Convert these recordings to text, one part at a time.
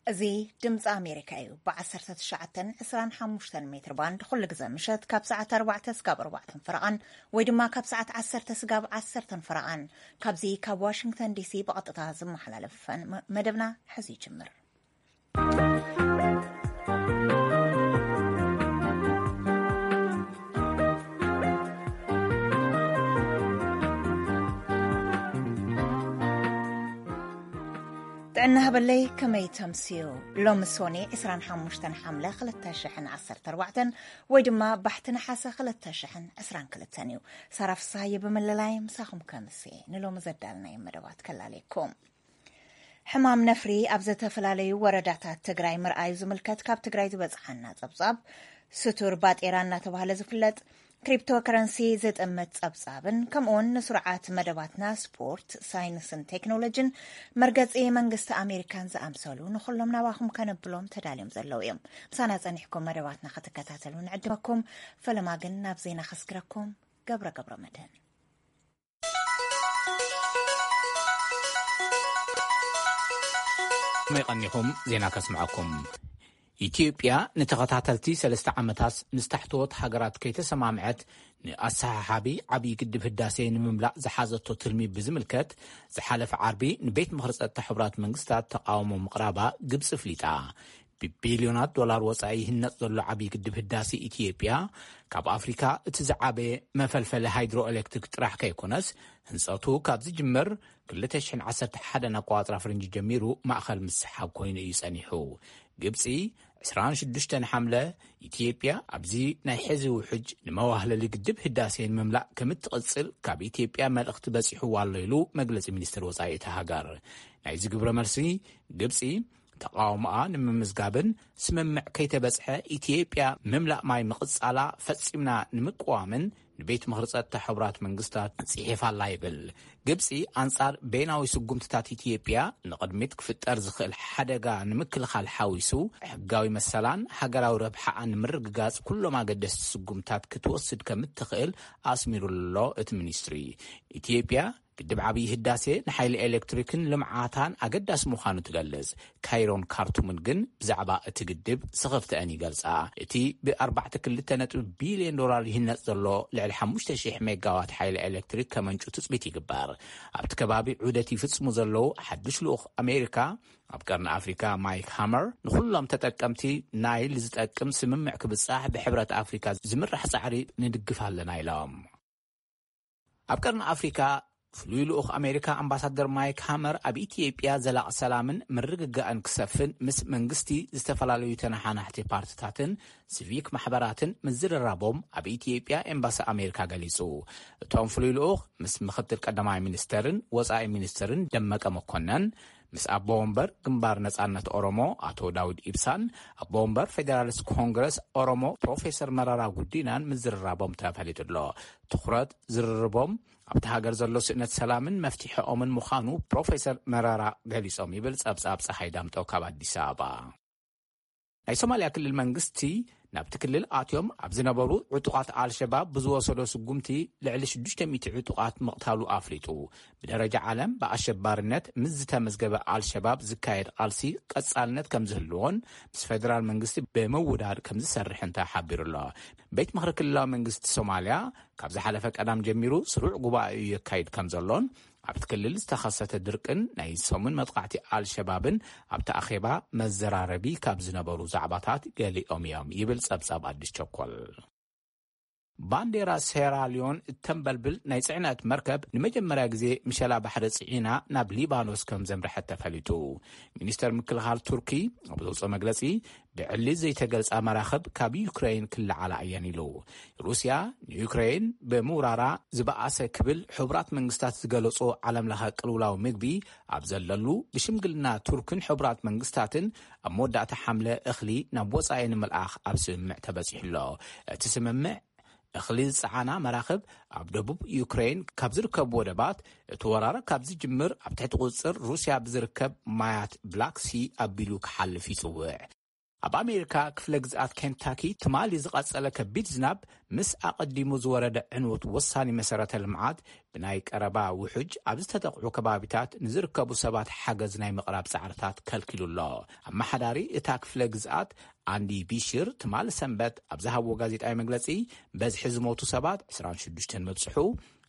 እዚ ድምፂ ኣሜሪካ እዩ። ብ19፣ 25 ሜትር ባንድ ኩሉ ግዜ ምሸት ካብ ሰዓት ኣርባዕተ ስጋብ ኣርባዕተን ፈረቓን፣ ወይ ድማ ካብ ሰዓት ዓሰርተ ስጋብ ዓሰርተን ፈረቓን፣ ካብዚ ካብ ዋሽንግተን ዲሲ ብቐጥታ ዝመሓላለፍ መ-፣ መደብና ሕዚ ይጅምር። ጥዕና ሃበለይ፣ ከመይ ተምስዩ? ሎሚ ሶኒ ዕስራን ሓሙሽተን ሓምለ ክልተ ሽሕን ዓሰርተ ኣርባዕተን፣ ወይ ድማ ባሕቲ ነሓሰ ክልተ ሽሕን ዕስራን ክልተን እዩ። ሳራ ፍስሃየ ብምልላይ ምሳኹም ከምስየ ንሎሚ ዘዳልናዮ መደባት ከላለየኩም። ሕማም ነፍሪ ኣብ ዝተፈላለዩ ወረዳታት ትግራይ ምርኣዩ ዝምልከት ካብ ትግራይ ዝበፅሓና ጸብጻብ፣ ስቱር ባጤራ እናተባህለ ዝፍለጥ ክሪፕቶ ከረንሲ ዝጥምት ጸብጻብን፣ ከምኡውን ንስሩዓት መደባትና ስፖርት፣ ሳይንስን ቴክኖሎጂን፣ መርገጺ መንግስቲ ኣሜሪካን ዝኣምሰሉ ንኹሎም ናባኹም ከነብሎም ተዳልዮም ዘለዉ እዮም። ምሳና ጸኒሕኩም መደባትና ክትከታተሉ ንዕድመኩም። ፈለማ ግን ናብ ዜና ከስግረኩም። ገብረ ገብረ መድህን። መይቐኒኹም ዜና ከስምዐኩም። ኢትዮጵያ ንተኸታተልቲ ሰለስተ ዓመታት ምስ ታሕተዎት ሃገራት ከይተሰማምዐት፣ ንኣሰሓሓቢ ዓብዪ ግድብ ህዳሴ ንምምላእ ዝሓዘቶ ትልሚ ብዝምልከት፣ ዝሓለፈ ዓርቢ ንቤት ምኽሪ ጸጥታ ሕቡራት መንግስታት ተቃውሞ ምቕራባ ግብጺ ፍሊጣ። ብቢልዮናት ዶላር ወጻኢ ይህነጽ ዘሎ ዓብዪ ግድብ ህዳሴ ኢትዮጵያ፣ ካብ ኣፍሪካ እቲ ዝዓበየ መፈልፈሊ ሃይድሮ ኤሌክትሪክ ጥራሕ ከይኮነስ፣ ህንጸቱ ካብ ዝጅምር ክልተ ሽሕን ዓሰርተ ሓደን ኣቆጻጽራ ፈረንጂ ጀሚሩ ማእኸል ምስሓብ ኮይኑ እዩ ጸኒሑ። ግብጺ፣ ዕስራን ሽዱሽተን ሓምለ፣ ኢትዮጵያ ኣብዚ ናይ ሕዚ ውሕጅ ንመዋህለሊ ግድብ ህዳሴ ንምምላእ ከምትቕጽል ካብ ኢትዮጵያ መልእኽቲ በጺሕዋ ኣሎ ኢሉ መግለጺ ሚኒስትር ወጻኢ እታ ሃገር። ናይዚ ግብረ መልሲ፣ ግብጺ ተቃውሞኣ ንምምዝጋብን ስምምዕ ከይተበጽሐ ኢትዮጵያ ምምላእ ማይ ምቕጻላ ፈጺምና ንምቅዋምን ንቤት ምኽሪ ጸጥታ ሕቡራት መንግስታት ጽሒፋ ኣላ ይብል። ግብጺ ኣንጻር በይናዊ ስጉምትታት ኢትዮጵያ ንቕድሚት ክፍጠር ዝኽእል ሓደጋ ንምክልኻል ሓዊሱ ሕጋዊ መሰላን ሃገራዊ ረብሓኣን ንምርግጋጽ ኩሎም ኣገደስቲ ስጉምታት ክትወስድ ከምትኽእል ኣስሚሩሎ እቲ ሚኒስትሪ። ኢትዮጵያ ግድብ ዓብዪ ህዳሴ ንሓይሊ ኤሌክትሪክን ልምዓታን ኣገዳሲ ምዃኑ ትገልጽ። ካይሮን ካርቱምን ግን ብዛዕባ እቲ ግድብ ስኽፍተአን ይገልጻ። እቲ ብ ኣርባዕተ ክልተ ነጥቢ ቢልዮን ዶላር ይህነጽ ዘሎ ልዕሊ ሓሙሽተ ሽሕ ሜጋዋት ሓይሊ ኤሌክትሪክ ከመንጩ ትጽቢት ይግበር። ኣብቲ ከባቢ ዑደት ይፍጽሙ ዘለዉ ሓድሽ ልኡኽ ኣሜሪካ ኣብ ቀርኒ ኣፍሪካ ማይክ ሃመር፣ ንኹሎም ተጠቀምቲ ናይል ዝጠቅም ስምምዕ ክብጻሕ ብሕብረት ኣፍሪካ ዝምራሕ ጻዕሪ ንድግፍ ኣለና ኢሎም። ኣብ ቀርኒ ኣፍሪካ ፍሉይ ልኡኽ ኣሜሪካ ኣምባሳደር ማይክ ሃመር ኣብ ኢትዮጵያ ዘላቒ ሰላምን ምርግጋእን ክሰፍን ምስ መንግስቲ፣ ዝተፈላለዩ ተነሓናሕቲ ፓርትታትን ሲቪክ ማሕበራትን ምዝርራቦም ኣብ ኢትዮጵያ ኤምባሲ ኣሜሪካ ገሊጹ። እቶም ፍሉይ ልኡኽ ምስ ምክትል ቀዳማይ ሚኒስተርን ወጻኢ ሚኒስተርን ደመቀ መኮነን፣ ምስ ኣቦ ወንበር ግንባር ነጻነት ኦሮሞ ኣቶ ዳውድ ኢብሳን ኣቦ ወንበር ፌዴራሊስት ኮንግረስ ኦሮሞ ፕሮፌሰር መረራ ጉዲናን ምዝርራቦም ተፈሊጡ ኣሎ። ትኹረት ዝርርቦም ኣብቲ ሃገር ዘሎ ስእነት ሰላምን መፍትሒኦምን ምዃኑ ፕሮፌሰር መረራ ገሊጾም ይብል ጸብጻብ ጸሓይ ዳምጠው ካብ ኣዲስ ኣበባ። ናይ ሶማልያ ክልል መንግስቲ ናብቲ ክልል ኣትዮም ኣብ ዝነበሩ ዕጡቓት ኣልሸባብ ብዝወሰዶ ስጉምቲ ልዕሊ ሽዱሽተ ሚእቲ ዕጡቓት ምቕታሉ ኣፍሊጡ። ብደረጃ ዓለም ብኣሸባርነት ምስ ዝተመዝገበ ኣልሸባብ ዝካየድ ቃልሲ ቀጻልነት ከም ዝህልዎን ምስ ፌደራል መንግስቲ ብምውዳድ ከም ዝሰርሕን ተሓቢሩ ኣሎ። ቤት ምኽሪ ክልላዊ መንግስቲ ሶማልያ ካብ ዝሓለፈ ቀዳም ጀሚሩ ስሩዕ ጉባኤኡ የካይድ ከም ዘሎን ኣብቲ ክልል ዝተኸሰተ ድርቅን ናይ ሰሙን መጥቃዕቲ ኣልሸባብን ኣብቲ ኣኼባ መዘራረቢ ካብ ዝነበሩ ዛዕባታት ገሊኦም እዮም ይብል ጸብጻብ ኣዲስ ቸኮል። ባንዴራ ሴራልዮን እተንበልብል ናይ ጽዕነት መርከብ ንመጀመርያ ግዜ ምሸላ ባሕሪ ጽዒና ናብ ሊባኖስ ከም ዘምርሐት ተፈሊጡ። ሚኒስተር ምክልኻል ቱርኪ ኣብ ዘውፅኦ መግለጺ፣ ብዕሊ ዘይተገልጻ መራኽብ ካብ ዩክሬን ክለዓላ እየን ኢሉ። ሩስያ ንዩክሬን ብምውራራ ዝበኣሰ ክብል ሕቡራት መንግስታት ዝገለጾ ዓለም ለኸ ቅልውላው ምግቢ ኣብ ዘለሉ፣ ብሽምግልና ቱርክን ሕቡራት መንግስታትን ኣብ መወዳእታ ሓምለ እኽሊ ናብ ወጻኢ ንምልኣኽ ኣብ ስምምዕ ተበጺሑ ኣሎ። እቲ ስምምዕ፣ እኽሊ ዝጸዓና መራኽብ ኣብ ደቡብ ዩክሬን ካብ ዝርከቡ ወደባት፣ እቲ ወራር ካብ ዝጅምር ኣብ ትሕቲ ቁጽጽር ሩስያ ብዝርከብ ማያት ብላክ ሲ ኣቢሉ ክሓልፍ ይጽውዕ። ኣብ ኣሜሪካ ክፍለ ግዝኣት ኬንታኪ ትማሊ ዝቐጸለ ከቢድ ዝናብ ምስ ኣቐዲሙ ዝወረደ ዕንወት ወሳኒ መሰረተ ልምዓት ብናይ ቀረባ ውሑጅ ኣብ ዝተጠቕዑ ከባቢታት ንዝርከቡ ሰባት ሓገዝ ናይ ምቕራብ ጻዕርታት ከልኪሉ ኣሎ። ኣመሓዳሪ እታ ክፍለ ግዝኣት ኣንዲ ቢሽር ትማሊ ሰንበት ኣብ ዝሃብዎ ጋዜጣዊ መግለጺ፣ በዝሒ ዝሞቱ ሰባት ዕስራን ሽዱሽተን ምብጽሑ፣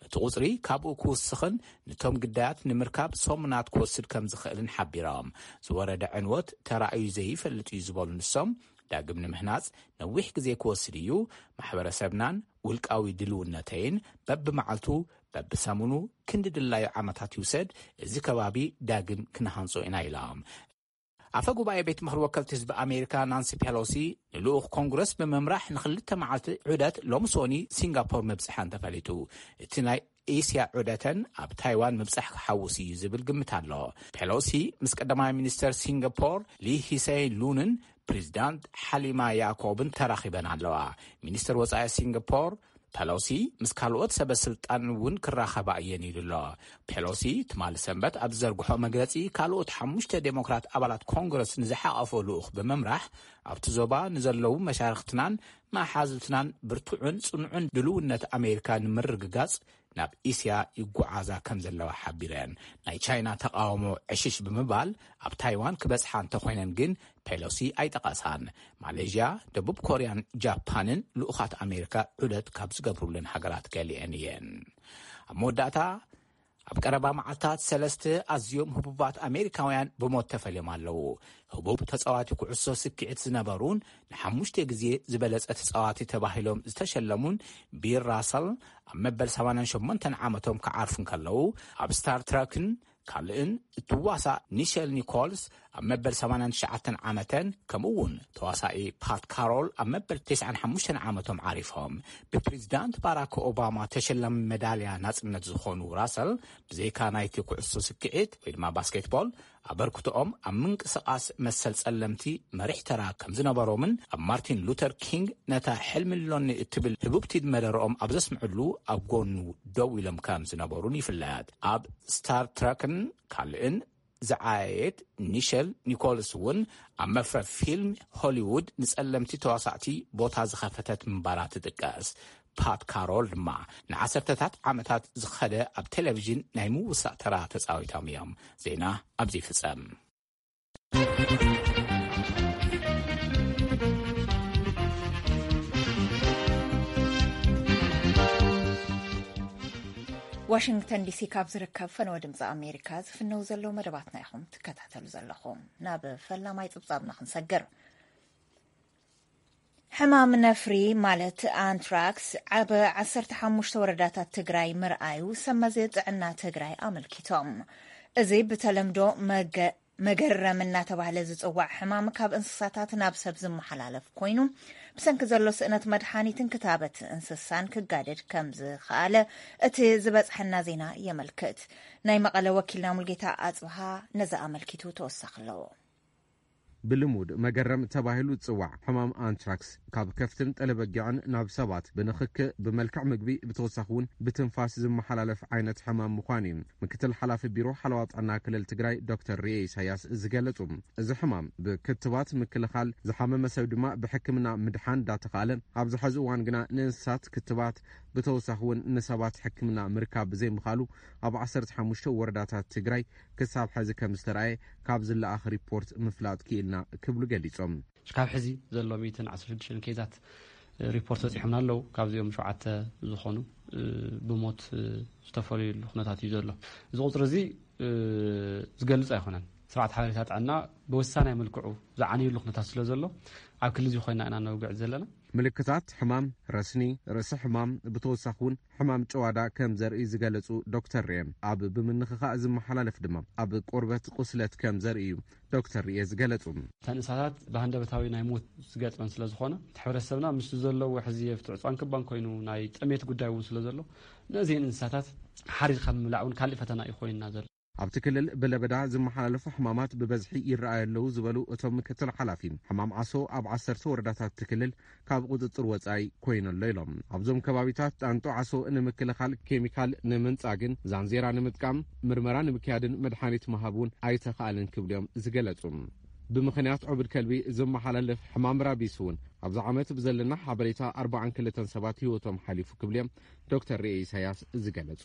እቲ ቁጽሪ ካብኡ ክውስኽን ንቶም ግዳያት ንምርካብ ሰሙናት ክወስድ ከም ዝኽእልን ሓቢሮም። ዝወረደ ዕንወት ተራእዩ ዘይፈልጥ እዩ ዝበሉ ንሶም፣ ዳግም ንምህናጽ ነዊሕ ግዜ ክወስድ እዩ። ማሕበረሰብናን ውልቃዊ ድልውነተይን በብመዓልቱ በብሰሙኑ ክንዲ ድላዩ ዓመታት ይውሰድ፣ እዚ ከባቢ ዳግም ክንሃንጾ ኢና ኢሎም። ኣፈ ጉባኤ ቤት ምኽሪ ወከልቲ ህዝቢ ኣሜሪካ ናንሲ ፔሎሲ ንልኡኽ ኮንግረስ ብምምራሕ ንክልተ መዓልቲ ዑደት ሎሚ ሶኒ ሲንጋፖር ምብፅሐን ተፈሊጡ። እቲ ናይ ኤስያ ዑደተን ኣብ ታይዋን ምብፃሕ ክሓውስ እዩ ዝብል ግምት ኣሎ። ፔሎሲ ምስ ቀዳማይ ሚኒስተር ሲንጋፖር ሊ ሂሰይ ሉንን ፕሬዚዳንት ሓሊማ ያኮብን ተራኺበን ኣለዋ። ሚኒስተር ወፃኢ ሲንጋፖር ፔሎሲ ምስ ካልኦት ሰበ ስልጣን እውን ክራኸባ እየን ኢሉ ኣሎ። ፔሎሲ ትማሊ ሰንበት ኣብ ዝዘርግሖ መግለፂ፣ ካልኦት ሓሙሽተ ዴሞክራት ኣባላት ኮንግረስ ንዝሓቐፎ ልኡኽ ብምምራሕ፣ ኣብቲ ዞባ ንዘለዉ መሻርኽትናን መሓዙትናን ብርቱዕን ጽኑዕን ድልውነት ኣሜሪካ ንምርግጋጽ ናብ እስያ ይጓዓዛ ከም ዘለዋ ሓቢረን። ናይ ቻይና ተቓውሞ ዕሽሽ ብምባል ኣብ ታይዋን ክበጽሓ እንተኾይነን ግን ፔሎሲ ኣይጠቐሳን። ማሌዥያ፣ ደቡብ ኮርያን ጃፓንን ልኡኻት ኣሜሪካ ዑደት ካብ ዝገብሩለን ሃገራት ገሊአን እየን። ኣብ መወዳእታ፣ ኣብ ቀረባ መዓልታት ሰለስተ ኣዝዮም ህቡባት ኣሜሪካውያን ብሞት ተፈልዮም ኣለዉ። ህቡብ ተጻዋቲ ኩዕሶ ስክዒት ዝነበሩን ንሓሙሽተ ግዜ ዝበለጸ ተጻዋቲ ተባሂሎም ዝተሸለሙን ቢል ራሰል ኣብ መበል ሰማንያን ሸሞንተን ዓመቶም ክዓርፉ እንከለዉ፣ ኣብ ስታር ትረክን ካልእን እትዋሳእ ኒሸል ኒኮልስ ኣብ መበል ሰማንያን ትሽዓተን ዓመተን፣ ከምኡ እውን ተዋሳኢ ፓት ካሮል ኣብ መበል ተስዓን ሓሙሽተን ዓመቶም ዓሪፎም። ብፕሬዚዳንት ባራክ ኦባማ ተሸላሚ መዳልያ ናጽነት ዝኾኑ ራሰል፣ ብዘይካ ናይቲ ኩዕሶ ስክዒት ወይ ድማ ባስኬትቦል፣ ኣበርክቶኦም ኣብ ምንቅስቓስ መሰል ጸለምቲ መሪሕ ተራ ከም ዝነበሮምን ኣብ ማርቲን ሉተር ኪንግ ነታ ሕልሚ ኣሎኒ እትብል ህቡብቲ መደረኦም ኣብ ዘስምዕሉ ኣብ ጎኑ ደው ኢሎም ከም ዝነበሩን ይፍለጥ። ኣብ ስታር ትረክን ካልእን ዝዓየየት ኒሸል ኒኮልስ እውን ኣብ መፍረ ፊልም ሆሊውድ ንጸለምቲ ተዋሳእቲ ቦታ ዝኸፈተት ምንባራ ትጥቀስ። ፓት ካሮል ድማ ንዓሰርተታት ዓመታት ዝኸደ ኣብ ቴሌቪዥን ናይ ምውሳእ ተራ ተጻዊቶም እዮም። ዜና ኣብዚ ይፍጸም። ዋሽንግተን ዲሲ ካብ ዝርከብ ፈነወ ድምፂ ኣሜሪካ ዝፍነው ዘለዉ መደባትና ኢኹም ትከታተሉ ዘለኹም። ናብ ፈላማይ ጽብጻብና ክንሰግር። ሕማም ነፍሪ ማለት ኣንትራክስ ኣብ ዓሰርተ ሓሙሽተ ወረዳታት ትግራይ ምርኣዩ ሰብ መዚ ጥዕና ትግራይ ኣመልኪቶም። እዚ ብተለምዶ መገ-፣ መገረም እናተባህለ ዝጽዋዕ ሕማም ካብ እንስሳታት ናብ ሰብ ዝመሓላለፍ ኮይኑ፣ ብሰንኪ ዘሎ ስእነት መድሓኒትን ክታበት እንስሳን ክጋደድ ከም ዝኸኣለ እቲ ዝበጽሐና ዜና የመልክት። ናይ መቐለ ወኪልና ሙልጌታ ኣጽብሃ ነዚ ኣመልኪቱ ተወሳኺ ኣለዎ። ብልሙድ መገረም ተባሂሉ ዝጽዋዕ ሕማም ኣንትራክስ ካብ ከፍትን ጠለበጊዕን ናብ ሰባት ብንኽክ፣ ብመልክዕ ምግቢ፣ ብተወሳኺ እውን ብትንፋስ ዝመሓላለፍ ዓይነት ሕማም ምዃኑ እዩ ምክትል ሓላፊ ቢሮ ሓለዋ ጥዕና ክልል ትግራይ ዶክተር ርኤ ኢሳያስ ዝገለጹ። እዚ ሕማም ብክትባት ምክልኻል፣ ዝሓመመ ሰብ ድማ ብሕክምና ምድሓን እንዳተኻእለ፣ ኣብዚ ሕዚ እዋን ግና ንእንስሳት ክትባት፣ ብተወሳኺ እውን ንሰባት ሕክምና ምርካብ ብዘይምኻሉ፣ ኣብ ዓሰርተ ሓሙሽተ ወረዳታት ትግራይ ክሳብ ሕዚ ከም ዝተረኣየ ካብ ዝለኣኽ ሪፖርት ምፍላጥ ክኢልና ክብሉ ገሊጾም። ካብ ሕዚ ዘሎ ሚእትን ዓሰርተ ሽዱሽተን ኬዛት ሪፖርት በፂሖምና ኣለዉ። ካብዚኦም ሸውዓተ ዝኾኑ ብሞት ዝተፈለዩሉ ኩነታት እዩ ዘሎ። እዚ ቁፅሪ እዚ ዝገልፅ ኣይኮነን። ስርዓት ሓበሬታ ጥዕና ብወሳናይ መልክዑ ዝዓነየሉ ኩነታት ስለ ዘሎ ኣብ ክሊ እዚ ኮይና ኢና ነውግዕ ዘለና። ምልክታት ሕማም ረስኒ፣ ርእሲ ሕማም፣ ብተወሳኺ እውን ሕማም ጨዋዳ ከም ዘርኢ ዝገለጹ ዶክተር ርኤ፣ ኣብ ብምንኽኻእ ዝመሓላለፍ ድማ ኣብ ቆርበት ቁስለት ከም ዘርኢ እዩ ዶክተር ርኤ ዝገለጹ። እተን እንስሳታት ብሃንደበታዊ ናይ ሞት ዝገጥመን ስለ ዝኾነ፣ እቲ ሕብረተሰብና ምስ ዘለዎ ሕዚ ኣብቲ ዕፅዋን ክባን ኮይኑ ናይ ጥሜት ጉዳይ እውን ስለ ዘሎ፣ ነዚአን እንስሳታት ሓሪድካ ምምላዕ እውን ካሊእ ፈተና እዩ ኮይንና ዘሎ። ኣብቲ ክልል ብለበዳ ዝመሓላለፉ ሕማማት ብበዝሒ ይረኣዩ ኣለዉ ዝበሉ እቶም ምክትል ሓላፊ፣ ሕማም ዓሶ ኣብ ዓሰርተ ወረዳታት እቲ ክልል ካብ ቁፅፅር ወፃኢ ኮይኑ ኣሎ ኢሎም። ኣብዞም ከባቢታት ጣንጡ ዓሶ ንምክልኻል ኬሚካል ንምንፃግን ዛንዜራ ንምጥቃም ምርመራ ንምክያድን መድሓኒት ምሃብ እውን ኣይተኻእለን ክብሉ እዮም ዝገለፁ። ብምኽንያት ዕቡድ ከልቢ ዝመሓላለፍ ሕማም ራቢስ እውን ኣብዚ ዓመት ብዘለና ሓበሬታ ኣርባዓን ክልተን ሰባት ህይወቶም ሓሊፉ ክብሉ እዮም ዶክተር ርኤ ኢሳያስ ዝገለጹ።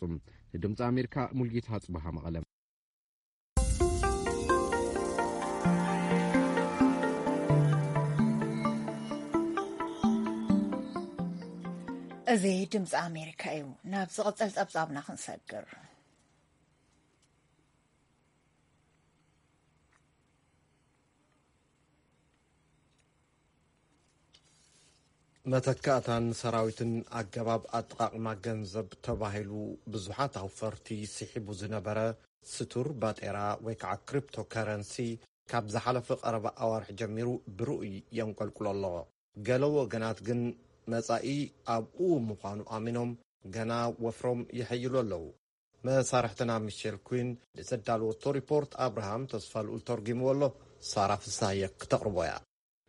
ንድምፂ ኣሜሪካ ሙልጌታ ጽበሃ መቐለ። እዚ ድምፂ ኣሜሪካ እዩ። ናብ ዝቕጽል ጸብጻብና ክንሰግር። መተካእታን ሰራዊትን ኣገባብ ኣጠቓቕማ ገንዘብ ተባሂሉ ብዙሓት ኣውፈርቲ ስሒቡ ዝነበረ ስቱር ባጤራ ወይ ከዓ ክሪፕቶ ከረንሲ ካብ ዝሓለፈ ቀረባ ኣዋርሕ ጀሚሩ ብርኡይ የንቆልቁሎ ኣሎ። ገለ ወገናት ግን መጻኢ ኣብኡ ምዃኑ ኣሚኖም ገና ወፍሮም ይሐይሉ ኣለዉ። መሳርሕትና ሚሼል ኩን ንዘዳለወቶ ሪፖርት ኣብርሃም ተስፋ ልኡል ተርጒምዎ ኣሎ። ሳራ ፍሳየ ክተቕርቦ እያ።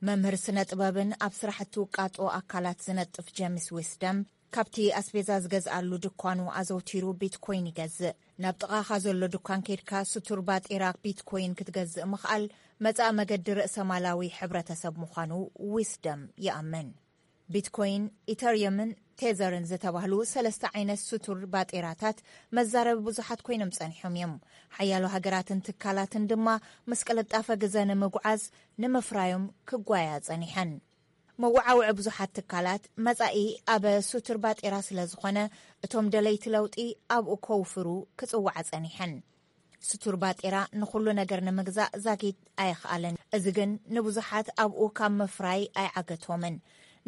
መምህር ስነ ጥበብን ኣብ ስራሕቲ ውቃጦ ኣካላት ዝነጥፍ ጀምስ ዊስደም ካብቲ ኣስቤዛ ዝገዝኣሉ ድኳኑ ኣዘውቲሩ ቢትኮይን ይገዝእ። ናብ ጥቓኻ ዘሎ ድኳን ኬድካ ስቱር ባጤራ ቢትኮይን ክትገዝእ ምኽኣል መጻኢ መገዲ ርእሰ ማላዊ ሕብረተሰብ ምዃኑ ዊስደም ይኣምን። ቢትኮይን፣ ኢተርየምን ቴዘርን ዝተባህሉ ሰለስተ ዓይነት ስቱር ባጤራታት መዛረቢ ብዙሓት ኮይኖም ጸኒሖም እዮም። ሓያሎ ሃገራትን ትካላትን ድማ ምስ ቅልጣፈ ግዘ ንምጉዓዝ ንምፍራዮም ክጓያ ጸኒሐን። መወዓውዒ ብዙሓት ትካላት መጻኢ ኣብ ስቱር ባጤራ ስለ ዝኾነ እቶም ደለይቲ ለውጢ ኣብኡ ከውፍሩ ክጽውዓ ጸኒሐን። ስቱር ባጤራ ንኹሉ ነገር ንምግዛእ ዛጊድ ኣየኽኣለን። እዚ ግን ንብዙሓት ኣብኡ ካብ ምፍራይ ኣይዓገቶምን።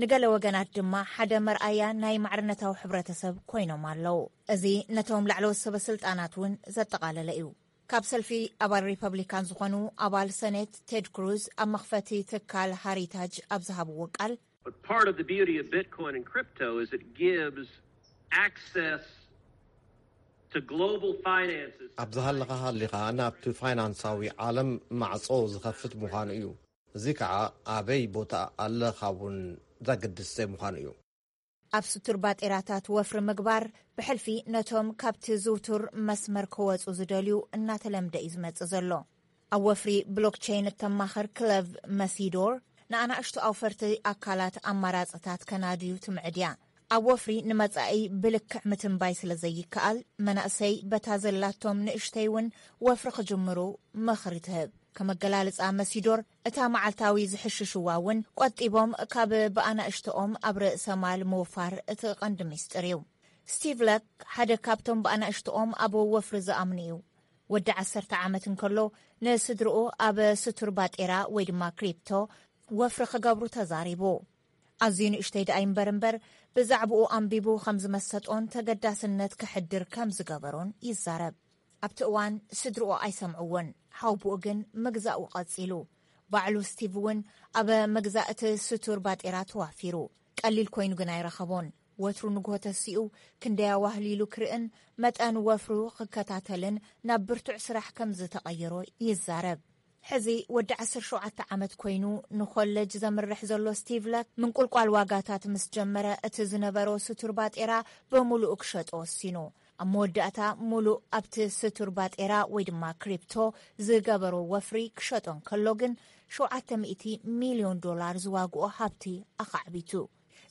ንገለ ወገናት ድማ ሓደ መርኣያ ናይ ማዕርነታዊ ሕብረተሰብ ኮይኖም ኣለዉ። እዚ ነቶም ላዕለዎት ሰበ ስልጣናት እውን ዘጠቓለለ እዩ። ካብ ሰልፊ ኣባል ሪፐብሊካን ዝኾኑ ኣባል ሰኔት ቴድ ክሩዝ ኣብ መኽፈቲ ትካል ሃሪታጅ ኣብ ዝሃብዎ ቃል፣ But part of the beauty of Bitcoin and crypto is it gives access to global finances. ኣብ ዝሃለኻ ሃሊኻ ናብቲ ፋይናንሳዊ ዓለም ማዕጾ ዝኸፍት ምዃኑ እዩ። እዚ ከዓ ኣበይ ቦታ ኣለኻ እውን ዘግድስ ዘይምዃኑ እዩ። ኣብ ስቱር ባጤራታት ወፍሪ ምግባር ብሕልፊ ነቶም ካብቲ ዝውቱር መስመር ክወጹ ዝደልዩ እናተለምደ እዩ ዝመጽእ ዘሎ። ኣብ ወፍሪ ብሎክቸይን እተማኽር ክለቭ መሲዶር ንኣናእሽቱ ኣውፈርቲ ኣካላት ኣማራጽታት ከናድዩ ትምዕድ እያ። ኣብ ወፍሪ ንመጻኢ ብልክዕ ምትንባይ ስለ ዘይከኣል መናእሰይ በታ ዘላቶም ንእሽተይ እውን ወፍሪ ክጅምሩ ምኽሪ ትህብ። ከም ኣገላልጻ መሲዶር እታ መዓልታዊ ዝሕሽሽዋ እውን ቆጢቦም ካብ ብኣናእሽተኦም ኣብ ርእሰ ማል ምውፋር እቲ ቀንዲ ሚስጥር እዩ። ስቲቭ ለክ ሓደ ካብቶም ብኣናእሽተኦም ኣብ ወፍሪ ዝኣምኑ እዩ። ወዲ ዓሰርተ ዓመት እንከሎ ንስድርኡ ኣብ ስቱር ባጤራ ወይ ድማ ክሪፕቶ ወፍሪ ክገብሩ ተዛሪቡ። ኣዝዩ ንእሽተይ ደኣ ይንበር እምበር ብዛዕባኡ ኣንቢቡ ከም ዝመሰጦን ተገዳስነት ከሕድር ከም ዝገበሮን ይዛረብ። ኣብቲ እዋን ስድርኡ ኣይሰምዕዎን። ሓውቡኡ ግን ምግዛኡ ቀጺሉ። ባዕሉ ስቲቭ እውን ኣብ ምግዛእ እቲ ስቱር ባጤራ ተዋፊሩ። ቀሊል ኮይኑ ግን ኣይረኸቦን። ወትሩ ንግሆ ተሲኡ ክንደይ ኣዋህሊሉ ክርእን መጠን ወፍሩ ክከታተልን ናብ ብርቱዕ ስራሕ ከም ዝተቐየሮ ይዛረብ። ሕዚ ወዲ ዓሰርተ ሸውዓተ ዓመት ኮይኑ ንኮለጅ ዘምርሕ ዘሎ ስቲቭ ለክ ምንቁልቋል ዋጋታት ምስ ጀመረ እቲ ዝነበሮ ስቱር ባጤራ ብምሉኡ ክሸጦ ወሲኑ። ኣብ መወዳእታ ሙሉእ ኣብቲ ስቱር ባጤራ ወይ ድማ ክሪፕቶ ዝገበሮ ወፍሪ ክሸጦ እንከሎ ግን ሸውዓተ ሚእቲ ሚልዮን ዶላር ዝዋግኦ ሃብቲ ኣኻዕቢቱ።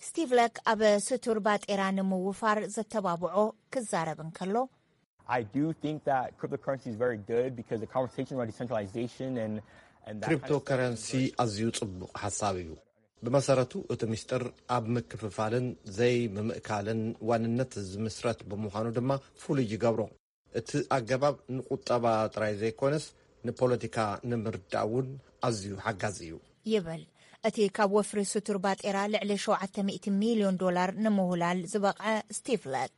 ስቲቭ ለክ ኣብ ስቱር ባጤራ ንምውፋር ዘተባብዖ ክዛረብ እንከሎ፣ I do think that cryptocurrency is very good because the conversation around decentralization and, and that kind of stuff is ክሪፕቶከረንሲ very ኣዝዩ ጽቡቕ ሓሳብ እዩ። ብመሰረቱ እቲ ምስጢር ኣብ ምክፍፋልን ዘይምምእካልን ዋንነት ዝምስረት ብምዃኑ ድማ ፍሉይ ይገብሮ። እቲ ኣገባብ ንቁጠባ ጥራይ ዘይኮነስ ንፖለቲካ ንምርዳእ እውን ኣዝዩ ሓጋዚ እዩ። ይብል እቲ ካብ ወፍሪ ስቱር ባጤራ ልዕሊ ሸውዓተ ሚእቲ ሚልዮን ዶላር ንምውላል ዝበቕዐ ስቲቭ ለክ።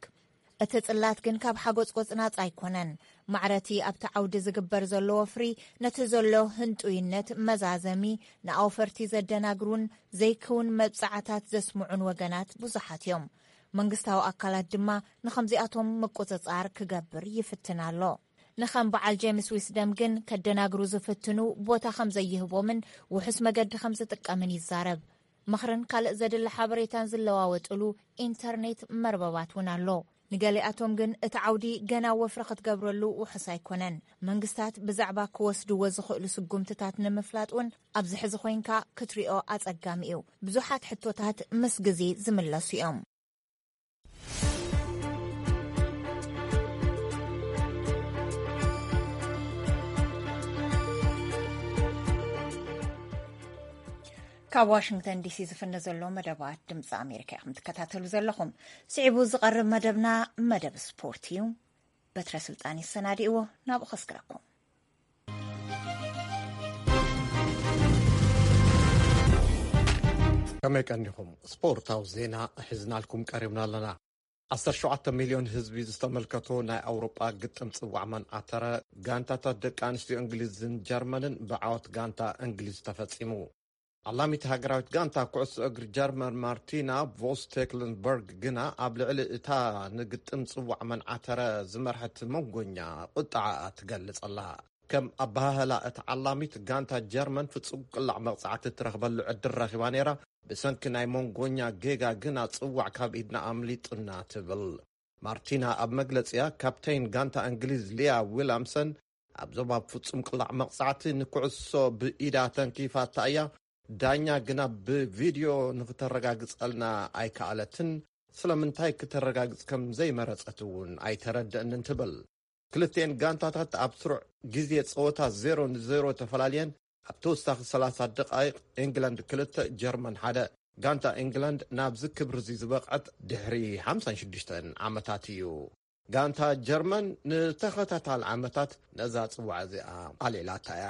እቲ ጽላት ግን ካብ ሓጎጽጎጽ ናጻ ኣይኮነን። ማዕረቲ ኣብቲ ዓውዲ ዝግበር ዘሎ ወፍሪ ነቲ ዘሎ ህንጡይነት መዛዘሚ ንኣውፈርቲ ዘደናግሩን ዘይክውን መብጻዓታት ዘስምዑን ወገናት ብዙሓት እዮም። መንግስታዊ ኣካላት ድማ ንኸምዚኣቶም ምቁጽጻር ክገብር ይፍትን ኣሎ። ንኸም በዓል ጄምስ ዊስደም ግን ከደናግሩ ዝፍትኑ ቦታ ከም ዘይህቦምን ውሑስ መገዲ ከም ዝጥቀምን ይዛረብ። ምኽርን ካልእ ዘድሊ ሓበሬታን ዝለዋወጥሉ ኢንተርኔት መርበባት እውን ኣሎ። ንገሊኣቶም ግን እቲ ዓውዲ ገና ወፍሪ ክትገብረሉ ውሑስ ኣይኮነን። መንግስታት ብዛዕባ ክወስድዎ ዝኽእሉ ስጉምትታት ንምፍላጥ እውን ኣብዚ ሕዚ ኮይንካ ክትሪኦ ኣጸጋሚ እዩ። ብዙሓት ሕቶታት ምስ ግዜ ዝምለሱ እዮም። ካብ ዋሽንግተን ዲሲ ዝፍነ ዘሎ መደባት ድምፂ ኣሜሪካ ኢኹም ትከታተሉ ዘለኹም። ስዒቡ ዝቐርብ መደብና መደብ ስፖርት እዩ። በትረ ስልጣን ይሰናድእዎ፣ ናብኡ ከስግረኩም። ከመይ ቀኒኹም? ስፖርታዊ ዜና ሒዝናልኩም ቀሪብና ኣለና። ዓሰርተ ሸውዓተ ሚልዮን ህዝቢ ዝተመልከቶ ናይ ኣውሮጳ ግጥም ጽዋዕ መንዓተረ፣ ጋንታታት ደቂ ኣንስትዮ እንግሊዝን ጀርመንን ብዓወት ጋንታ እንግሊዝ ተፈጺሙ። ዓላሚት ሃገራዊት ጋንታ ኩዕሶ እግሪ ጀርመን ማርቲና ቮስቴክለንበርግ ግና ኣብ ልዕሊ እታ ንግጥም ጽዋዕ መንዓተረ ዝመርሐት መንጎኛ ቁጥዓኣ ትገልጽ ኣላ። ከም ኣበሃህላ እታ ዓላሚት፣ ጋንታ ጀርመን ፍጹም ቅላዕ መቕጻዕቲ እትረኽበሉ ዕድል ረኺባ ነይራ፣ ብሰንኪ ናይ መንጎኛ ጌጋ ግና ጽዋዕ ካብ ኢድና ኣምሊጡና ትብል። ማርቲና ኣብ መግለጺኣ፣ ካፕቴን ጋንታ እንግሊዝ ሊያ ዊላምሰን ኣብዞም ኣብ ፍጹም ቅላዕ መቕጻዕቲ ንኩዕሶ ብኢዳ ተንኪፋታ እያ፣ ዳኛ ግና ብቪድዮ ንክተረጋግጸልና ኣይከኣለትን፣ ስለምንታይ ክተረጋግጽ ከም ዘይመረጸት እውን ኣይተረድእንን ትብል። ክልቲኤን ጋንታታት ኣብ ስሩዕ ግዜ ጸወታ ዜሮ ንዜሮ ተፈላልየን፣ ኣብ ተወሳኺ ሰላሳ ደቓይቕ ኢንግላንድ ክልተ፣ ጀርመን ሓደ። ጋንታ ኢንግላንድ ናብዚ ክብሪ እዚ ዝበቕዐት ድሕሪ ሓምሳን ሽዱሽተን ዓመታት እዩ። ጋንታ ጀርመን ንተኸታታሊ ዓመታት ነዛ ጽዋዕ እዚኣ ኣልዒላታ እያ።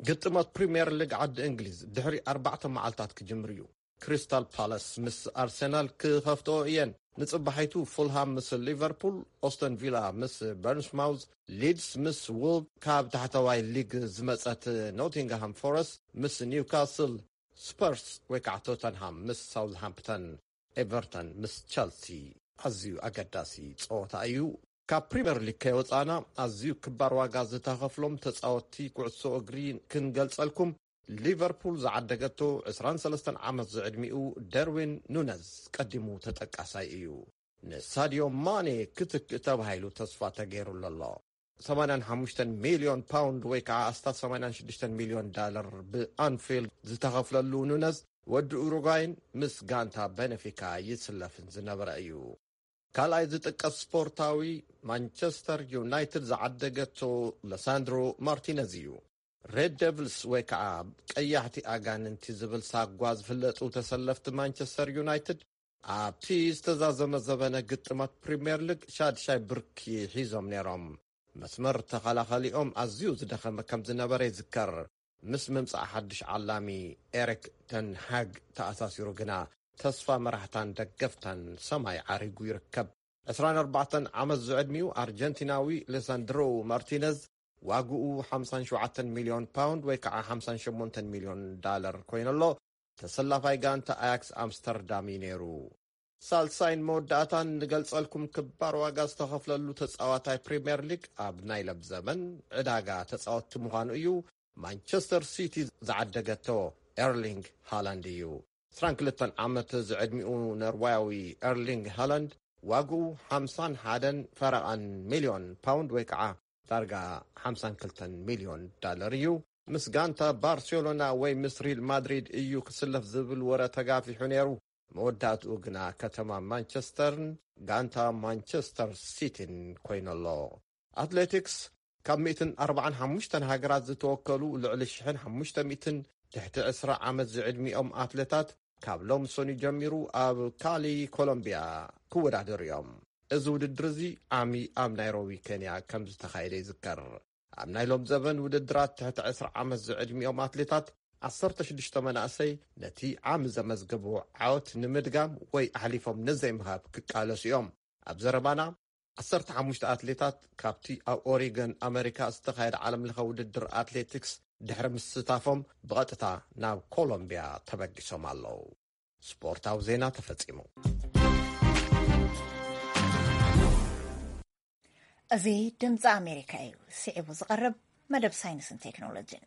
ግጥማት ፕሪምየር ሊግ ዓዲ እንግሊዝ ድሕሪ ኣርባዕተ መዓልታት ክጅምር እዩ። ክሪስታል ፓላስ ምስ ኣርሰናል ክኸፍትኦ እየን። ንጽባሒቱ ፉልሃም ምስ ሊቨርፑል፣ ኦስተን ቪላ ምስ በርንስማውዝ፣ ሊድስ ምስ ውል፣ ካብ ታሕተዋይ ሊግ ዝመጸት ኖቲንግሃም ፎረስት ምስ ኒውካስል፣ ስፐርስ ወይ ከዓ ቶተንሃም ምስ ሳውዝሃምፕተን፣ ኤቨርተን ምስ ቸልሲ። ኣዝዩ ኣገዳሲ ጸወታ እዩ። ካብ ፕሪምየር ሊግ ከይወጻና ኣዝዩ ክባር ዋጋ ዝተኸፍሎም ተጻወትቲ ኩዕሶ እግሪ ክንገልጸልኩም። ሊቨርፑል ዝዓደገቶ ዕስራን ሰለስተን ዓመት ዝዕድሚኡ ደርዊን ኑነዝ ቀዲሙ ተጠቃሳይ እዩ። ንሳዲዮ ማኔ ክትክእ ተባሂሉ ተስፋ ተገይሩሉ ኣሎ። ሰማንያን ሓሙሽተን ሚልዮን ፓውንድ ወይ ከዓ ኣስታት ሰማንያን ሽዱሽተን ሚልዮን ዳለር ብኣንፊልድ ዝተኸፍለሉ ኑነዝ፣ ወዲ ኡሩጓይን ምስ ጋንታ ቤነፊካ ይስለፍን ዝነበረ እዩ። ካልኣይ ዝጥቀስ ስፖርታዊ፣ ማንቸስተር ዩናይትድ ዝዓደገቶ ለሳንድሮ ማርቲነዝ እዩ። ሬድ ደቪልስ ወይ ከዓ ቀያሕቲ ኣጋንንቲ ዝብል ሳጓ ዝፍለጡ ተሰለፍቲ ማንቸስተር ዩናይትድ ኣብቲ ዝተዛዘመ ዘበነ ግጥማት ፕሪምየር ሊግ ሻድሻይ ብርኪ ሒዞም ነይሮም። መስመር ተኸላኸሊኦም ኣዝዩ ዝደኸመ ከም ዝነበረ ይዝከር። ምስ ምምጻእ ሓድሽ ዓላሚ ኤሪክ ተን ሃግ ተኣሳሲሩ ግና ተስፋ መራሕታን ደገፍታን ሰማይ ዓሪጉ ይርከብ። ዕስራን ኣርባዕተን ዓመት ዝዕድሚኡ ኣርጀንቲናዊ ሌሳንድሮ ማርቲነዝ ዋግኡ ሓምሳን ሸውዓተን ሚልዮን ፓውንድ ወይ ከዓ ሓምሳን ሸሞንተን ሚልዮን ዳለር ኮይኑሎ። ተሰላፋይ ጋንታ ኣያክስ ኣምስተርዳም እዩ ነይሩ። ሳልሳይን መወዳእታን ንገልጸልኩም ክባር ዋጋ ዝተኸፍለሉ ተጻዋታይ ፕሪምየር ሊግ ኣብ ናይ ሎምዘበን ዕዳጋ ተጻወትቲ ምዃኑ እዩ። ማንቸስተር ሲቲ ዝዓደገቶ ኤርሊንግ ሃላንድ እዩ። ዕስራን ክልተን ዓመት ዝዕድሚኡ ኖርዋያዊ ኤርሊንግ ሃላንድ ዋግኡ ሓምሳን ሓደን ፈረቓን ሚልዮን ፓውንድ ወይ ከዓ ዳርጋ ሓምሳን ክልተን ሚልዮን ዳለር እዩ። ምስ ጋንታ ባርሴሎና ወይ ምስ ሪል ማድሪድ እዩ ክስለፍ ዝብል ወረ ተጋፊሑ ነይሩ። መወዳእትኡ ግና ከተማ ማንቸስተርን ጋንታ ማንቸስተር ሲቲን ኮይኑሎ። ኣትሌቲክስ፣ ካብ ሚእትን ኣርባዓን ሓሙሽተን ሃገራት ዝተወከሉ ልዕሊ ሽሕን ሓሙሽተ ሚእትን ትሕቲ ዕስራ ዓመት ዝዕድሚኦም ኣትሌታት ካብ ሎም ሰኑይ ጀሚሩ ኣብ ካሊ ኮሎምቢያ ክወዳደሩ እዮም። እዚ ውድድር እዚ ዓሚ ኣብ ናይሮቢ ኬንያ ከም ዝተኻየደ ይዝከር። ኣብ ናይ ሎም ዘበን ውድድራት ትሕቲ ዕስራ ዓመት ዝዕድሚኦም ኣትሌታት ዓሰርተ ሽዱሽተ መናእሰይ ነቲ ዓሚ ዘመዝገብዎ ዓወት ንምድጋም ወይ ኣሕሊፎም ንዘይምሃብ ክቃለሱ እዮም። ኣብ ዘረባና ዓሰርተ ሓሙሽተ ኣትሌታት ካብቲ ኣብ ኦሪገን ኣመሪካ ዝተኻየደ ዓለምለኸ ውድድር ኣትሌቲክስ ድሕሪ ምስታፎም ብቐጥታ ናብ ኮሎምቢያ ተበጊሶም ኣለዉ። ስፖርታዊ ዜና ተፈጺሙ። እዚ ድምፂ ኣሜሪካ እዩ። ስዒቡ ዝቐርብ መደብ ሳይንስን ቴክኖሎጂን።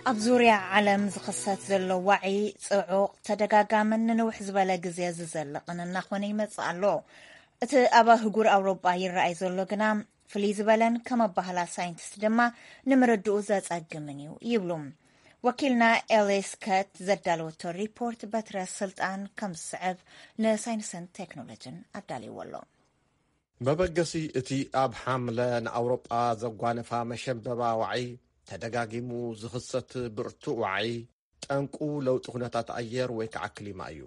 ኣብ ዙርያ ዓለም ዝኽሰት ዘሎ ዋዒ ጽዑቕ፣ ተደጋጋምን ንንውሕ ዝበለ ግዜ ዝዘልቕን እናኾነ ይመጽእ ኣሎ። እቲ ኣብ ኣህጉር ኣውሮጳ ይረኣይ ዘሎ ግና ፍልይ ዝበለን ከም ኣባህላ ሳይንቲስት ድማ ንምርድኡ ዘጸግምን እዩ ይብሉ። ወኪልና ኤሊስ ከት ዘዳለወቶ ሪፖርት በትረ ስልጣን ከም ዝስዕብ ንሳይንስን ቴክኖሎጂን ኣዳልይዎ ኣሎ። መበገሲ እቲ ኣብ ሓምለ ንኣውሮጳ ዘጓነፋ መሸንበባ ዋዒ ተደጋጊሙ ዝኽሰት ብርቱዕ ዋዒ ጠንቁ ለውጢ ኩነታት ኣየር ወይ ከዓ ክሊማ እዩ።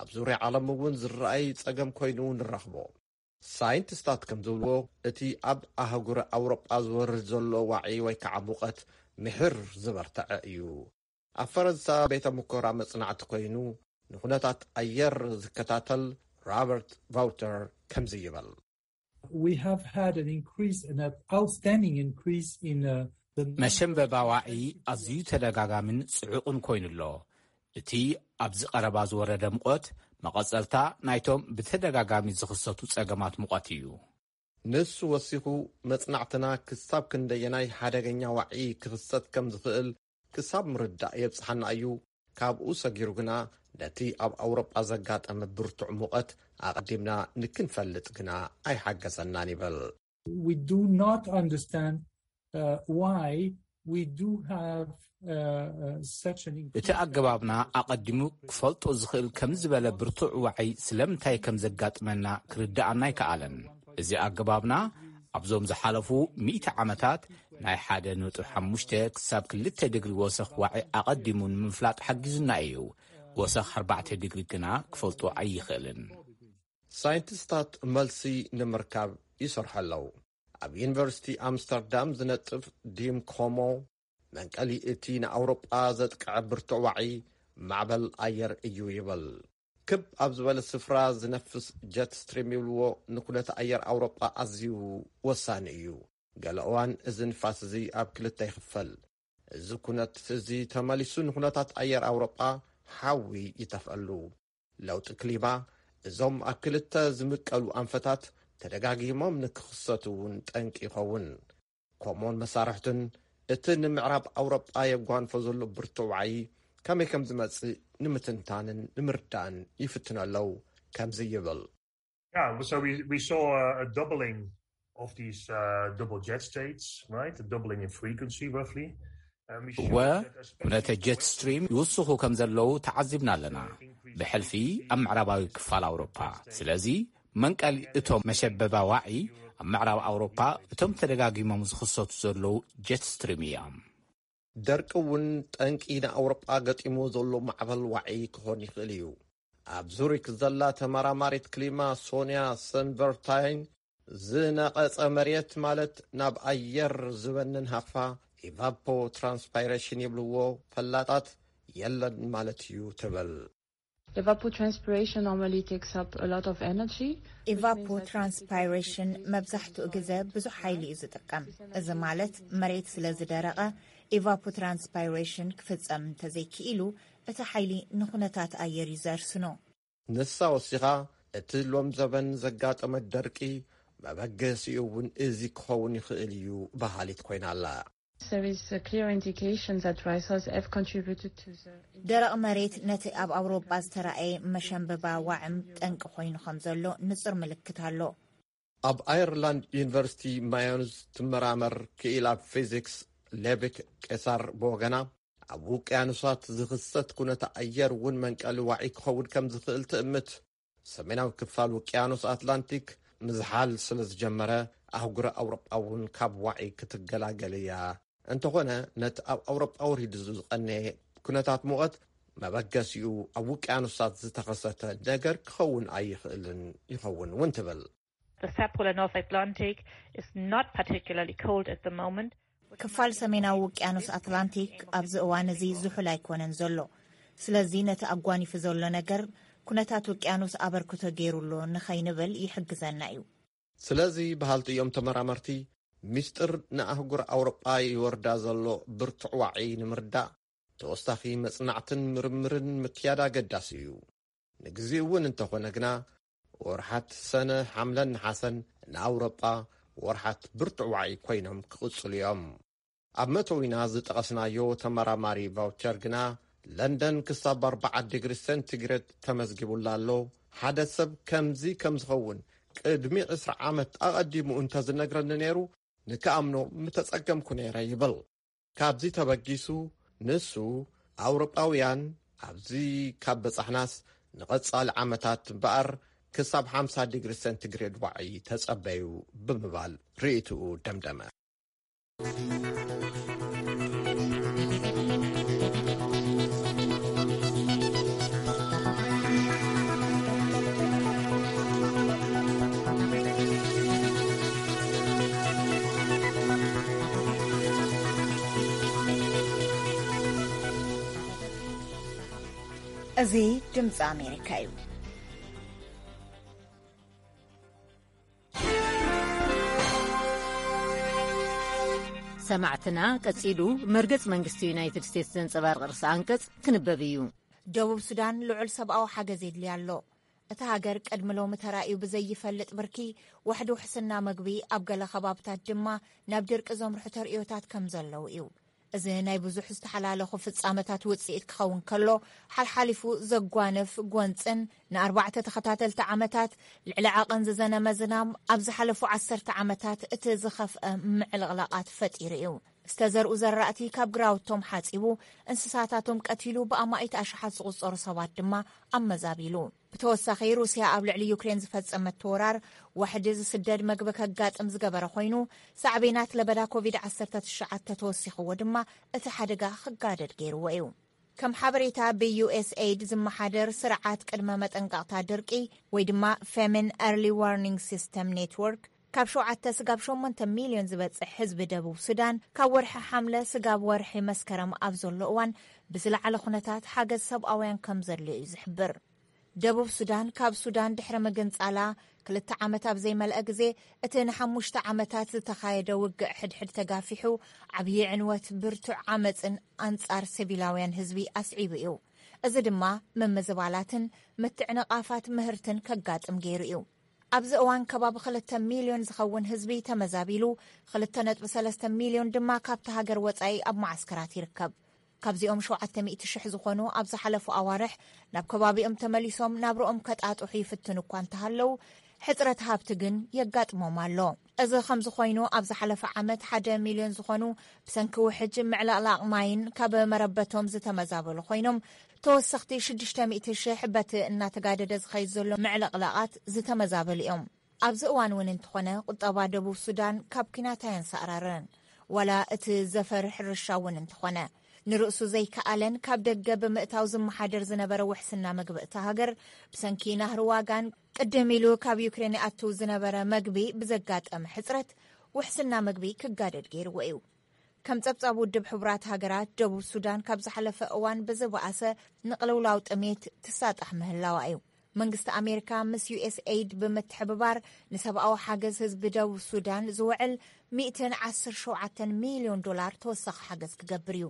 ኣብ ዙርያ ዓለም እውን ዝረኣይ ጸገም ኮይኑ ንረኽቦ። ሳይንቲስታት ከም ዝብልዎ እቲ ኣብ ኣህጉር ኣውሮጳ ዝወርድ ዘሎ ዋዒ ወይ ከዓ ሙቐት ምሕር ዝበርተዐ እዩ። ኣብ ፈረንሳ ቤተ ሙከራ መጽናዕቲ ኮይኑ ንኩነታት ኣየር ዝከታተል ራበርት ቫውተር ከምዚ ይበል። We have had an increase, an outstanding increase in uh, the መሸንበባ ዋዒ ኣዝዩ ተደጋጋምን ጽዑቕን ኮይኑ ኣሎ። እቲ ኣብዚ ቀረባ ዝወረደ ሙቐት መቐጸልታ ናይቶም ብተደጋጋሚ ዝኽሰቱ ጸገማት ሙቐት እዩ። ንሱ ወሲኹ፣ መጽናዕትና ክሳብ ክንደየናይ ሓደገኛ ዋዒ ክኽሰት ከም ዝኽእል ክሳብ ምርዳእ የብጽሓና እዩ። ካብኡ ሰጊሩ ግና ነቲ ኣብ ኣውሮጳ ዘጋጠመ ብርቱዕ ሙቐት ኣቐዲምና ንክንፈልጥ ግና ኣይሓገዘናን ይብል። We do not understand uh, why we do have uh, uh, such an increase. እቲ ኣገባብና ኣቐዲሙ ክፈልጦ ዝኽእል ከም ዝበለ ብርቱዕ ዋዒ ስለምንታይ ከም ዘጋጥመና ክርድኣና ኣይከኣለን። እዚ ኣገባብና ኣብዞም ዝሓለፉ ሚእቲ ዓመታት ናይ ሓደ ነጥቢ ሓሙሽተ ክሳብ ክልተ ዲግሪ ወሰኽ ዋዒ ኣቐዲሙ ንምፍላጥ ሓጊዙና እዩ። ወሰኽ ኣርባዕተ ዲግሪ ግና ክፈልጦ ኣይኽእልን። ሳይንቲስታት መልሲ ንምርካብ ይሰርሑ ኣለዉ። ኣብ ዩኒቨርሲቲ ኣምስተርዳም ዝነጥፍ ዲም ኮሞ መንቀሊ እቲ ንኣውሮጳ ዘጥቅዐ ብርቱዕ ዋዒ ማዕበል ኣየር እዩ ይብል። ክብ ኣብ ዝበለ ስፍራ ዝነፍስ ጀት ስትሪም ይብልዎ ንኩነተ ኣየር ኣውሮጳ ኣዝዩ ወሳኒ እዩ። ገለ እዋን እዚ ንፋስ እዚ ኣብ ክልተ ይኽፈል። እዚ ኩነት እዚ ተመሊሱ ንኩነታት ኣየር ኣውሮጳ ሓዊ ይተፍአሉ። ለውጢ ክሊማ እዞም ኣብ ክልተ ዝምቀሉ ኣንፈታት ተደጋጊሞም ንክኽሰቱ እውን ጠንቂ ይኸውን። ኮሞን መሳርሕቱን እቲ ንምዕራብ ኣውሮጳ የጓንፎ ዘሎ ብርቱዕ ዋዒ ከመይ ከም ዝመጽእ ንምትንታንን ንምርዳእን ይፍትኑ ኣለዉ። ከምዚ ይብል። Yeah, so we, we saw a, a doubling of these uh, double jet states, right? A doubling in frequency, roughly. And we showed እወ that especially ኩነተ ጀት ስትሪም ይውስኹ ከም ዘለዉ ተዓዚብና ኣለና። ብሕልፊ ኣብ ምዕራባዊ ክፋል ኣውሮፓ። ስለዚ መንቀሊ እቶም መሸበባ ዋዒ ኣብ ምዕራብ ኣውሮፓ እቶም ተደጋጊሞም ዝኽሰቱ ዘለዉ ጀት ስትሪም እዮም። ደርቂ እውን ጠንቂ ንኣውሮጳ ገጢሙ ዘሎ ማዕበል ዋዒ ክኾን ይኽእል እዩ። ኣብ ዙሪክ ዘላ ተመራማሪት ክሊማ ሶንያ ሰንቨርታይን ዝነቐጸ መሬት ማለት ናብ ኣየር ዝበንን ሃፋ ኢቫፖ ትራንስፓይሬሽን ይብልዎ ፈላጣት የለን ማለት እዩ ትብል። Evapotranspiration normally takes up a lot of energy. ኢቫፖትራንስፓይሬሽን መብዛሕትኡ ግዜ ብዙሕ ሓይሊ እዩ ዝጥቀም። እዚ ማለት መሬት ስለ ዝደረቐ ኢቫፖትራንስፓይሬሽን ክፍጸም እንተዘይክኢሉ እቲ ሓይሊ ንኹነታት ኣየር እዩ ዘርስኖ። ንሳ ወሲኻ እቲ ሎም ዘበን ዘጋጠመ ደርቂ መበገሲኡ እውን እዚ ክኸውን ይኽእል እዩ በሃሊት ኮይና ኣላ። There is a clear indication that dry soils have contributed to the ደረቕ መሬት ነቲ ኣብ ኣውሮጳ ዝተራእየ መሸንበባ ዋዕም ጠንቂ ኮይኑ ከም ዘሎ ንጹር ምልክት ኣሎ። ኣብ ኣየርላንድ ዩኒቨርሲቲ ማዮንዝ ትመራመር ክኢላ ፊዚክስ ሌቪክ ቄሳር ብወገና ኣብ ውቅያኖሳት ዝኽሰት ኩነተ ኣየር እውን መንቀሊ ዋዒ ክኸውን ከም ዝኽእል ትእምት። ሰሜናዊ ክፋል ውቅያኖስ ኣትላንቲክ ምዝሓል ስለ ዝጀመረ ኣህጉረ ኣውሮጳ እውን ካብ ዋዒ ክትገላገል እያ። እንተኾነ ነቲ ኣብ ኣውሮጳ ወሪዱ ዝቐነየ ኩነታት ሙቐት መበገሲኡ ኣብ ውቅያኖሳት ዝተኸሰተ ነገር ክኸውን ኣይኽእልን ይኸውን እውን ትብል። The South Polar North Atlantic is not particularly cold at the moment. ክፋል ሰሜናዊ ውቅያኖስ ኣትላንቲክ ኣብዚ እዋን እዚ ዝሑል ኣይኮነን ዘሎ። ስለዚ ነቲ ኣጓኒፉ ዘሎ ነገር ኩነታት ውቅያኖስ ኣበርክቶ ገይሩ ኣሎ ንኸይንብል ይሕግዘና እዩ። ስለዚ በሃልቲ እዮም ተመራመርቲ፣ ሚስጥር ንኣህጉር ኣውሮጳ ይወርዳ ዘሎ ብርቱዕ ዋዒ ንምርዳእ ተወሳኺ መጽናዕትን ምርምርን ምክያድ ኣገዳሲ እዩ። ንግዚኡ እውን እንተኾነ ግና ወርሓት ሰነ፣ ሓምለን ነሓሰን ንኣውሮጳ ወርሓት ብርቱዕ ዋዒ ኮይኖም ክቕጽሉ እዮም። ኣብ መተዊና ዝጠቐስናዮ ተመራማሪ ቫውቸር ግና፣ ለንደን ክሳብ ኣርባዓ ዲግሪ ሴንቲግሬድ ተመዝጊቡላ ኣሎ። ሓደ ሰብ ከምዚ ከም ዝኸውን ቅድሚ ዕስራ ዓመት ኣቐዲሙ እንተ ዝነግረኒ ነይሩ፣ ንክኣምኖ ምተጸገምኩ ነይረ ይብል። ካብዚ ተበጊሱ፣ ንሱ፣ ኣውሮጳውያን ኣብዚ ካብ በጻሕናስ፣ ንቐጻሊ ዓመታት እምበኣር ክሳብ ሓምሳ ዲግሪ ሴንቲግሬድ ዋዒ ተጸበዩ ብምባል ርእይትኡ ደምደመ። እዚ ድምፂ ኣሜሪካ እዩ። ሰማዕትና፣ ቀጺሉ መርገጽ መንግስቲ ዩናይትድ ስቴትስ ዘንጸባርቕ ርእሰ ኣንቀጽ ክንበብ እዩ። ደቡብ ሱዳን ልዑል ሰብኣዊ ሓገዝ የድልያ ኣሎ። እታ ሃገር ቅድሚ ሎሚ ተራእዩ ብዘይፈልጥ ብርኪ፣ ዋሕዲ ውሕስና መግቢ፣ ኣብ ገለ ከባብታት ድማ ናብ ድርቂ ዘምርሑ ተርእዮታት ከም ዘለዉ እዩ። እዚ ናይ ብዙሕ ዝተሓላለኹ ፍጻመታት ውጽኢት ክኸውን ከሎ፣ ሓልሓሊፉ ዘጓንፍ ጎንጽን ንኣርባዕተ ተኸታተልቲ ዓመታት ልዕሊ ዓቐን ዝዘነመ ዝናም ኣብ ዝሓለፉ ዓሰርተ ዓመታት እቲ ዝኸፍአ ምዕልቕላቓት ፈጢሩ እዩ። ዝተዘርኡ ዘራእቲ ካብ ግራውቶም ሓጺቡ፣ እንስሳታቶም ቀቲሉ፣ ብኣማኢት ኣሽሓት ዝቑጸሩ ሰባት ድማ ኣመዛቢሉ። ብተወሳኺ፣ ሩስያ ኣብ ልዕሊ ዩክሬን ዝፈጸመቶ ወራር ዋሕዲ ዝስደድ መግቢ ከጋጥም ዝገበረ ኮይኑ፣ ሳዕቤናት ለበዳ ኮቪድ ዓሰርተ ትሽዓተ ተወሲኽዎ ድማ እቲ ሓደጋ ክጋደድ ገይርዎ እዩ። ከም ሓበሬታ ብዩኤስኤይድ ዝመሓደር ስርዓት ቅድመ መጠንቀቕታ ድርቂ ወይ ድማ ፌሚን ኤርሊ ዋርኒንግ ሲስተም ኔትወርክ፣ ካብ ሸውዓተ ስጋብ ሸሞንተ ሚልዮን ዝበጽሕ ህዝቢ ደቡብ ሱዳን ካብ ወርሒ ሓምለ ስጋብ ወርሒ መስከረም ኣብ ዘሎ እዋን ብዝለዓለ ኩነታት ሓገዝ ሰብኣውያን ከም ዘድልዮ እዩ ዝሕብር። ደቡብ ሱዳን ካብ ሱዳን ድሕሪ ምግንጻላ ክልተ ዓመት ኣብ ዘይመልአ ግዜ፣ እቲ ንሓሙሽተ ዓመታት ዝተኻየደ ውግእ ሕድሕድ ተጋፊሑ፣ ዓብዪ ዕንወት፣ ብርቱዕ ዓመጽን ኣንጻር ሲቪላውያን ህዝቢ ኣስዒቡ እዩ። እዚ ድማ ምምዝባላትን ምትዕንቓፋት ምህርትን ከጋጥም ገይሩ እዩ። ኣብዚ እዋን ከባቢ ክልተ ሚልዮን ዝኸውን ህዝቢ ተመዛቢሉ፣ ክልተ ነጥቢ ሰለስተ ሚልዮን ድማ ካብቲ ሃገር ወጻኢ ኣብ መዓስከራት ይርከብ። ካብዚኦም ሸውዓተ ሚእቲ ሽሕ ዝኾኑ ኣብ ዝሓለፉ ኣዋርሕ ናብ ከባቢኦም ተመሊሶም ናብርኦም ከጣጥሑ ይፍትኑ እኳ እንተሃለዉ፣ ሕጽረት ሃብቲ ግን የጋጥሞም ኣሎ። እዚ ከምዚ ኮይኑ፣ ኣብ ዝሓለፈ ዓመት ሓደ ሚልዮን ዝኾኑ ብሰንኪ ውሕጅ፣ ምዕልቕላቕ ማይን ካብ መረበቶም ዝተመዛበሉ ኮይኖም፣ ተወሰኽቲ ሽዱሽተ ሚእቲ ሽሕ በቲ እናተጋደደ ዝኸይድ ዘሎ ምዕልቕላቓት ዝተመዛበሉ እዮም። ኣብዚ እዋን እውን እንተኾነ፣ ቁጠባ ደቡብ ሱዳን ካብ ኲናት ኣየንሳእራረን። ዋላ እቲ ዘፈር ሕርሻ እውን እንተኾነ፣ ንርእሱ ዘይከኣለን ካብ ደገ ብምእታው ዝመሓደር ዝነበረ ውሕስና መግቢ እታ ሃገር፣ ብሰንኪ ናህሪ ዋጋን ቅድም ኢሉ ካብ ዩክሬን ይኣቱ ዝነበረ መግቢ ብዘጋጠመ ሕጽረት፣ ውሕስና መግቢ ክጋደድ ገይርዎ እዩ። ከም ጸብጻብ ውድብ ሕቡራት ሃገራት፣ ደቡብ ሱዳን ካብ ዝሓለፈ እዋን ብዝበኣሰ ንቕልውላው ጥሜት ትሳጣሕ ምህላዋ እዩ። መንግስቲ ኣሜሪካ ምስ ዩኤስኤይድ ብምትሕብባር፣ ንሰብኣዊ ሓገዝ ህዝቢ ደቡብ ሱዳን ዝውዕል ሚእትን ዓሰርተ ሸውዓተን ሚልዮን ዶላር ተወሳኺ ሓገዝ ክገብር እዩ።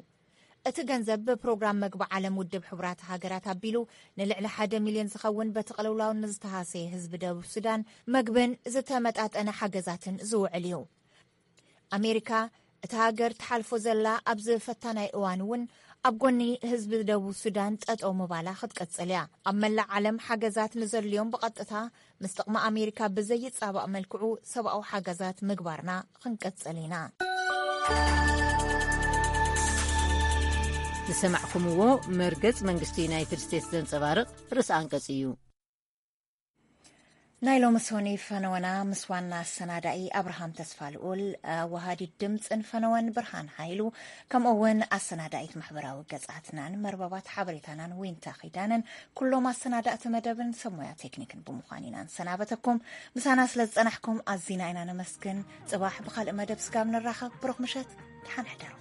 እቲ ገንዘብ ብፕሮግራም መግቢ ዓለም ውድብ ሕቡራት ሃገራት ኣቢሉ፣ ንልዕሊ ሓደ ሚልዮን ዝኸውን በቲ ቅልውላው ንዝተሃሰየ ህዝቢ ደቡብ ሱዳን መግብን ዝተመጣጠነ ሓገዛትን ዝውዕል እዩ። ኣሜሪካ፣ እታ ሃገር ትሓልፎ ዘላ ኣብዚ ፈታናይ እዋን እውን፣ ኣብ ጎኒ ህዝቢ ደቡብ ሱዳን ጠጠው ምባላ ክትቀጽል እያ። ኣብ መላእ ዓለም ሓገዛት ንዘድልዮም ብቐጥታ ምስ ጥቕሚ ኣሜሪካ ብዘይጻባእ መልክዑ ሰብኣዊ ሓገዛት ምግባርና ክንቀጽል ኢና። ዝሰማዕኩምዎ መርገጽ መንግስቲ ዩናይትድ ስቴትስ ዘንጸባርቕ ርእሰ ኣንቀጽ እዩ። ናይ ሎሚ ሶኒ ፈነወና ምስ ዋና ኣሰናዳኢ ኣብርሃም ተስፋ ልኡል፣ ኣወሃዲት ድምፅን ፈነወን ብርሃን ሃይሉ፣ ከምኡ እውን ኣሰናዳኢት ማሕበራዊ ገፃትናን መርበባት ሓበሬታናን ዊንታ ኪዳነን፣ ኩሎም ኣሰናዳእቲ መደብን ሰብ ሞያ ቴክኒክን ብምዃን ኢና ንሰናበተኩም። ምሳና ስለ ዝፀናሕኩም ኣዚና ኢና ነመስግን። ፅባሕ ብኻልእ መደብ ስጋብ ንራኸብ፣ ብሩኽ ምሸት፣ ደሓን ሕደሩ።